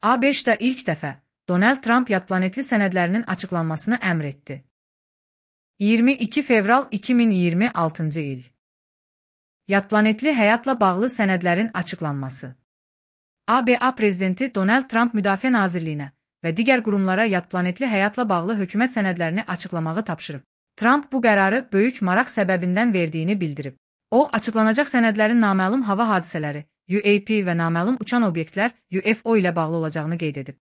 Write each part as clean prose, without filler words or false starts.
ABŞ-da ilk dəfə Donald Trump yadplanetli sənədlərinin açıqlanmasını əmr etdi. 22 fevral 2026-cı il. Yadplanetli həyatla bağlı sənədlərin açıqlanması. ABA prezidenti Donald Trump Müdafiə Nazirliyinə və digər qurumlara yadplanetli həyatla bağlı hökumət sənədlərini açıqlamağı tapşırıb. Trump bu qərarı böyük maraq səbəbindən verdiyini bildirib. O, açıqlanacaq sənədlərin naməlum hava hadisələri, UAP və naməlum uçan obyektlər, UFO ilə bağlı olacağını qeyd edib.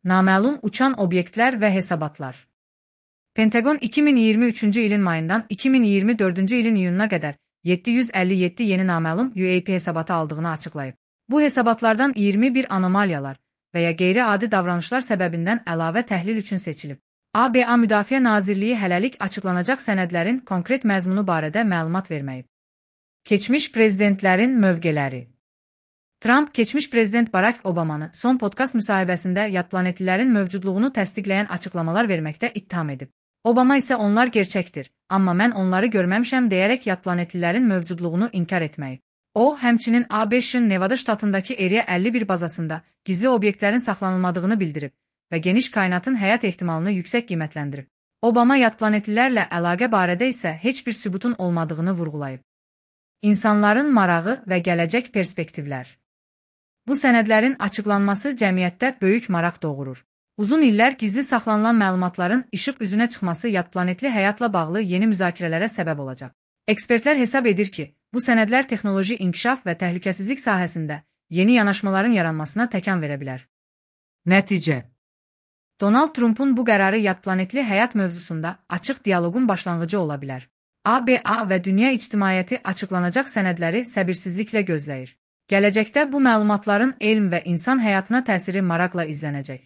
Naməlum uçan obyektlər və hesabatlar. Pentagon 2023-cü ilin mayından 2024-cü ilin iyununa qədər 757 yeni naməlum UAP hesabatı aldığını açıqlayıb. Bu hesabatlardan 21 anomaliyalar və ya qeyri-adi davranışlar səbəbindən əlavə təhlil üçün seçilib. ABA Müdafiə Nazirliyi hələlik açıqlanacaq sənədlərin konkret məzmunu barədə məlumat verməyib. Keçmiş prezidentlərin mövqeləri. Trump, keçmiş prezident Barack Obamanı son podkast müsahibəsində yadplanetlilərin mövcudluğunu təsdiqləyən açıqlamalar verməkdə ittiham edib. Obama isə onlar gerçəkdir, amma mən onları görməmişəm deyərək yadplanetlilərin mövcudluğunu inkar etməyib. O, həmçinin ABŞ-ın Nevada ştatındakı Area 51 bazasında gizli obyektlərin saxlanılmadığını bildirib və geniş kainatın həyat ehtimalını yüksək qiymətləndirib. Obama yadplanetlilərlə əlaqə barədə isə heç bir sübutun olmadığını vurğulayıb. İnsanların marağı və gələcək perspektivlər. Bu sənədlərin açıqlanması cəmiyyətdə böyük maraq doğurur. Uzun illər gizli saxlanılan məlumatların işıq üzünə çıxması yadplanetli həyatla bağlı yeni müzakirələrə səbəb olacaq. Ekspertlər hesab edir ki, bu sənədlər texnoloji inkişaf və təhlükəsizlik sahəsində yeni yanaşmaların yaranmasına təkan verə bilər. Nəticə. Donald Trump'un bu qərarı yadplanetli həyat mövzusunda açıq dialoqun başlanğıcı ola bilər. ABA və dünya ictimaiyyəti açıqlanacaq sənədləri səbirsizliklə gözləyir. Gələcəkdə bu məlumatların elm və insan həyatına təsiri maraqla izlənəcək.